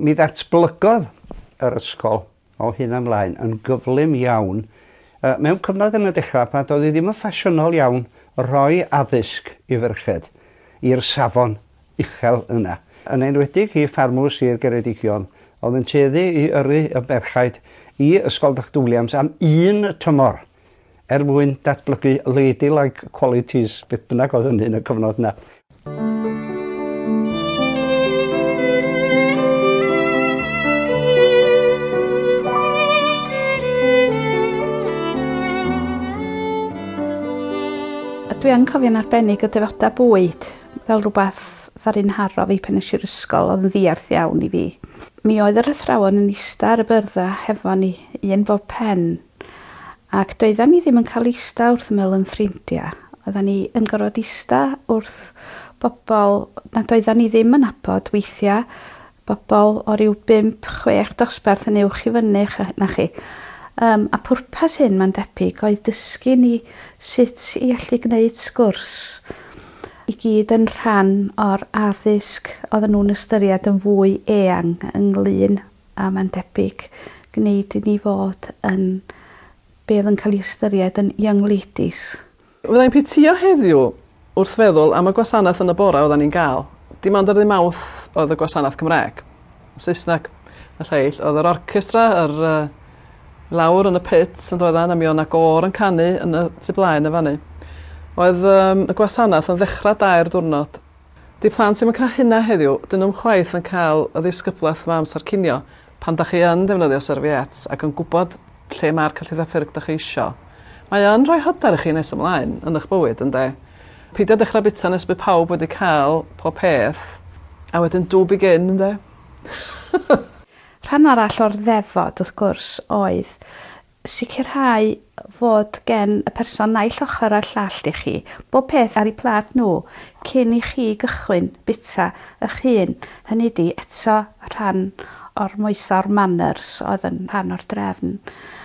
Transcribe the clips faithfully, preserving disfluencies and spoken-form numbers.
Mi ddatblygodd yr ysgol o hyn ymlaen yn gyflym iawn. Uh, mewn cyfnod yn y dechrau pan doedd hi ddim yn ffasiynol iawn rhoi addysg i ferched i'r safon uchel yna. Yn enwedig i ffarmwr Sir Geredigion, oedd yn tueddu i yrru y merchaid i Ysgol Doctor Williams am un tymor er mwyn datblygu ladylike qualities, beth bynnag oedd hynny yn y cyfnod yna. A dwi yn cofio'n arbennig y defodau bwyd fel rhywbeth ddaru'n haro fi pan es i'r ysgol, oedd yn ddiarth iawn i fi. Mi oedd yr athrawon yn ista ar y byrddau hefo ni, un bob pen, ac doeddan ni ddim yn cael ista wrth ymyl yn ffrindiau. Oeddan ni yn gorfod ista wrth bobl nad oeddan ni ddim yn nabod weithiau, bobl o ryw bump, chwech dosbarth yn uwch i fyny na chi. Um, a pwrpas hyn, mae'n debyg, oedd dysgu ni sut i allu gwneud sgwrs i gyd yn rhan o'r addysg oedden nhw'n ystyried yn fwy eang ynglyn a mae'n debyg gwneud i ni fod yn be oedd yn cael ei ystyried yn young ladies. Fyddai'n pitio heddiw wrth feddwl am y gwasanaeth yn y bore oedden ni'n gael. Dim ond ar ddydd Mawrth oedd y gwasanaeth Cymraeg. Saesneg y lleill. Oedd yr orchestra, yr uh, lawr yn y pit yn doeddan, a mi oedd 'na gôr yn canu yn y tu blaen y fanny. Oedd um, y gwasanaeth yn ddechrau dair diwrnod. Di plant ddim yn cael hynna heddiw, dyn nhw'm chwaith yn cael y ddisgyblaeth yma amser cinio pan da chi yn defnyddio serviettes ac yn gwybod lle mae'r cyllydd a ffyrg da chi isio. Mae yn rhoi hyder i chi nes ymlaen yn eich bywyd, ynde? Peidio dechrau bita nes bydd pawb wedi cael pob peth, a wedyn do begin, ynde? Rhan arall o'r ddefod, wrth gwrs, oedd sicrhau fod gen y person naill ochr a'r llall i chi, bob peth ar eu plât nhw, cyn i chi gychwyn bita eich hun. Hynny ydi, eto rhan o'r moesa'r manners oedd yn rhan o'r drefn.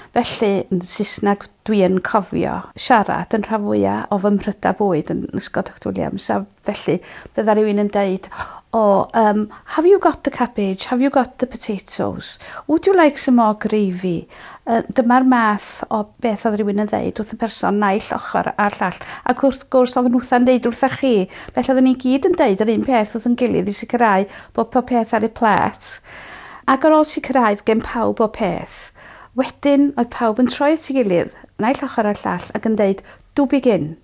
Felly, yn Saesneg dwi yn cofio siarad yn rhan fwyaf o fy mhrydau bwyd yn Ysgol Doctor Williams, a felly bydda rhywun yn deud, oh, um, have you got the cabbage? Have you got the potatoes? Would you like some more gravy? Uh, dyma'r math o beth oedd rhywun yn ddeud wrth y person naill ochr a'r llall. Ac wrth gwrs oedd nhw'n deud wrtha chi. Felly oedden ni gyd yn deud yr un peth wrth yn gilydd i sicrhau bod pob peth ar ei plât. Ac ar ôl sicrhau gen pawb o peth, wedyn oedd pawb yn troi at ei gilydd, naill ochr a'r llall, ac yn deud, do begin.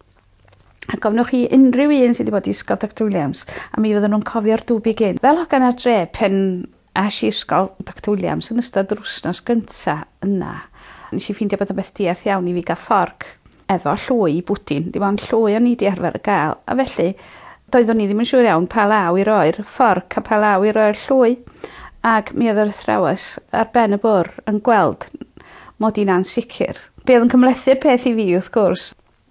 A gofnwch chi unrhyw un sydd wedi bod i Ysgol Doctor Williams, a mi fydden nhw'n cofio'r do begin. Fel hogan ar dre, pen es i Ysgol Doctor Williams yn ystod yr wythnos gynta yna, nes i ffeindio bod yn beth diarth iawn i fi gael fforc efo llwy i bwdin. Dim ond llwy o'n i di arfer gael. A felly, doeddwn i ddim yn siŵr iawn pa law i roi'r fforc a pa law i roi'r llwy. Ac mi oedd yr athrawes ar ben y bwr yn gweld mod i'n ansicr. Be oedd yn cymhlethu'r peth i fi, wrth gwrs,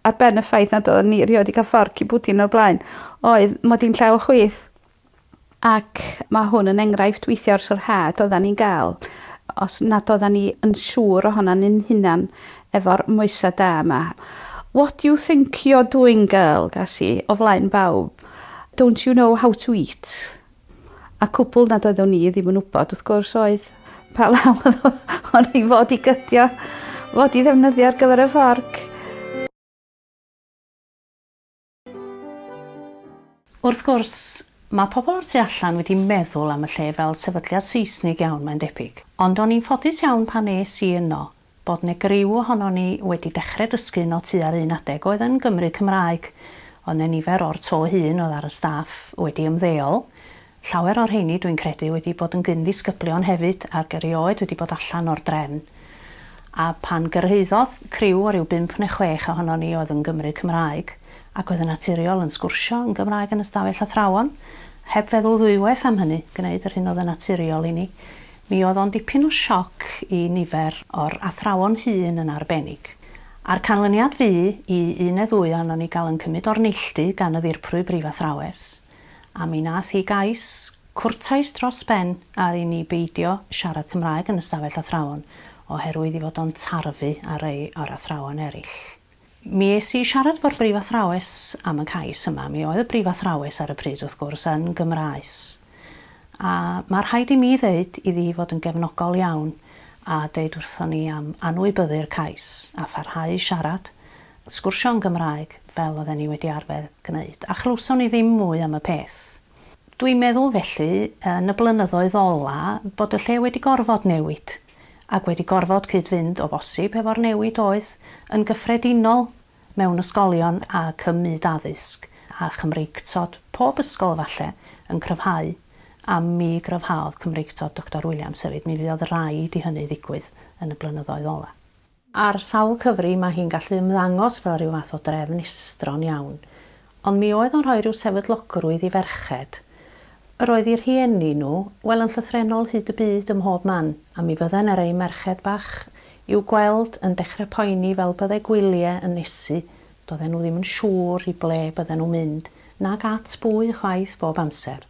ar ben y ffaith nad oeddwn ni erioed wedi cael fforc i bwdin o'r blaen, oedd mod i'n llaw chwith. Ac mae hwn yn enghraifft weithio o'r sarhad oeddan ni'n gael, os nad oeddan ni yn siŵr ohonan ni'n hunan efo'r moesa da yma. What do you think you're doing, girl, gas i, o flaen bawb? Don't you know how to eat? A cwbl nad oeddwn ni ddim yn wybod, wrth gwrs, oedd pa law o'n i fod i gydio, fod i ddefnyddio ar gyfer y fforc. Wrth gwrs, mae pobl o'r tu allan wedi meddwl am y lle fel sefydliad Saesnig iawn, mae'n debyg. Ond o'n i'n ffodus iawn pan es i yno, bod 'na griw ohonon ni wedi dechrau dysgu yno tua'r un adeg oedd yn Gymru Cymraeg. Oedd 'na nifer o'r to hŷn oedd ar y staff wedi ymddeol. Llawer o'r rheini, dwi'n credu, wedi bod yn gyn-ddisgyblion hefyd ac erioed wedi bod allan o'r drefn. A pan gyrhaeddodd criw o ryw bump neu chwech ohonon ni oedd yn Gymru Cymraeg, ac oedd yn naturiol yn sgwrsio yn Gymraeg yn ystafell athrawon, heb feddwl ddwywaith am hynny, gwneud yr hyn oedd yn naturiol i ni. Mi oedd o'n dipyn o sioc i nifer o'r athrawon hŷn yn arbennig. A'r canlyniad fu i un neu ddwy ohonon ni gael yn cymryd o'r neilltu gan y ddirprwy brifathrawes, a mi nath hi gais cwrtais dros ben ar i ni beidio siarad Cymraeg yn ystafell athrawon, oherwydd i fod o'n tarfu ar rei o'r athrawon eraill. Mi es i siarad efo'r brifathrawes am y cais yma. Mi oedd y brifathrawes ar y pryd, wrth gwrs, yn Gymraes. A mae rhaid i mi ddeud iddi fod yn gefnogol iawn a deud wrthon ni am anwybyddu'r cais a pharhau i siarad, sgwrsio'n Gymraeg fel oedden ni wedi arfer gwneud. A chlywson ni ddim mwy am y peth. Dwi'n meddwl felly, yn y blynyddoedd ola, bod y lle wedi gorfod newid ac wedi gorfod cyd-fynd o bosib efo'r newid oedd yn gyffredinol mewn ysgolion a cymyd addysg a Chymreictod pob ysgol falle yn cryfhau, a mi gryfhaodd Cymreictod Doctor Williams hefyd. Mi fuodd raid i hynny ddigwydd yn y blynyddoedd ola. Ar sawl cyfri mae hi'n gallu ymddangos fel rhyw fath o drefn estron iawn, ond mi oedd o'n rhoi rhyw sefydlogrwydd i ferched. Yr oedd i'r rhieni nhw, wel yn llythrennol hyd y byd ym mhob man, a mi fydden ar eu merched bach i'w gweld yn dechrau poeni fel byddai gwyliau yn nesu. Doedden nhw ddim yn siŵr i ble bydden nhw'n mynd, nag at bwy chwaith bob amser.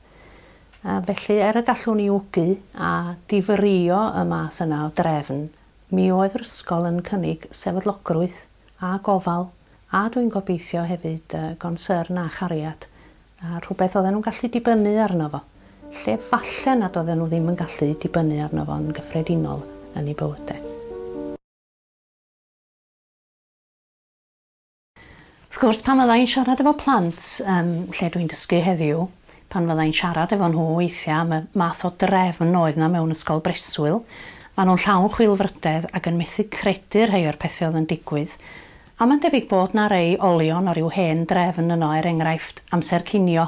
A felly, er y gallwn ni wgu a difrïo y math yna o drefn, mi oedd yr ysgol yn cynnig sefydlogrwydd a gofal, a dwi'n gobeithio hefyd uh, gonsyrn a chariad, a rhywbeth oedden nhw'n gallu dibynnu arno fo, lle falle nad oedden nhw ddim yn gallu dibynnu arno fo yn gyffredinol yn eu bywydau. Wrth gwrs, pan fydda i'n siarad efo plant, um, lle dwi'n dysgu heddiw, pan fydda i'n siarad efo nhw weithiau am y math o drefn oedd 'na mewn ysgol breswyl, maen nhw'n llawn chwilfrydedd ac yn methu credu rhai o'r pethau oedd yn digwydd. A mae'n debyg bod 'na rei olion o ryw hen drefn yno, er enghraifft amser cinio.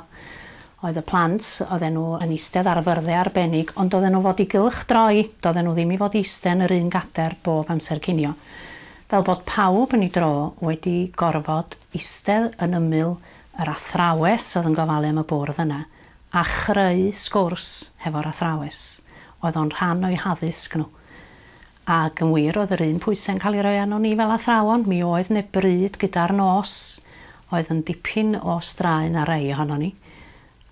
Oedd y plant, oedden nhw yn eistedd ar fyrddau arbennig, ond oedden nhw fod i gylchdroi, doedden nhw ddim i fod eistedd yn yr un gader bob amser cinio. Fel bod pawb yn ei dro wedi gorfod eistedd yn ymyl yr athrawes oedd yn gofalu am y bwrdd yna, a chreu sgwrs hefo'r athrawes. Oedd o'n rhan o'i haddysg nhw. Ac yn wir, oedd yr un pwysau'n cael ei roi arno ni fel athrawon. Mi oedd 'ne bryd gyda'r nos, oedd yn dipyn o straen ar rei ohonon ni.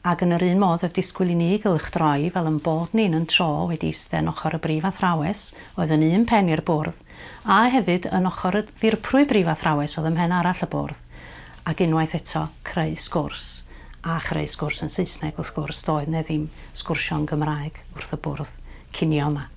Ac yn yr un modd oedd disgwyl i ni gylchdroi fel yn bod ni'n yn tro wedi eistedd yn ochr y brif athrawes, oedd yn un pen i'r bwrdd, a hefyd yn ochr y ddirprwy brif athrawes oedd ym mhen arall y bwrdd. Ac unwaith eto creu sgwrs, a chreu sgwrs yn Saesneg wrth gwrs, doedd 'ne ddim sgwrsio'n Gymraeg wrth y bwrdd cinio yma.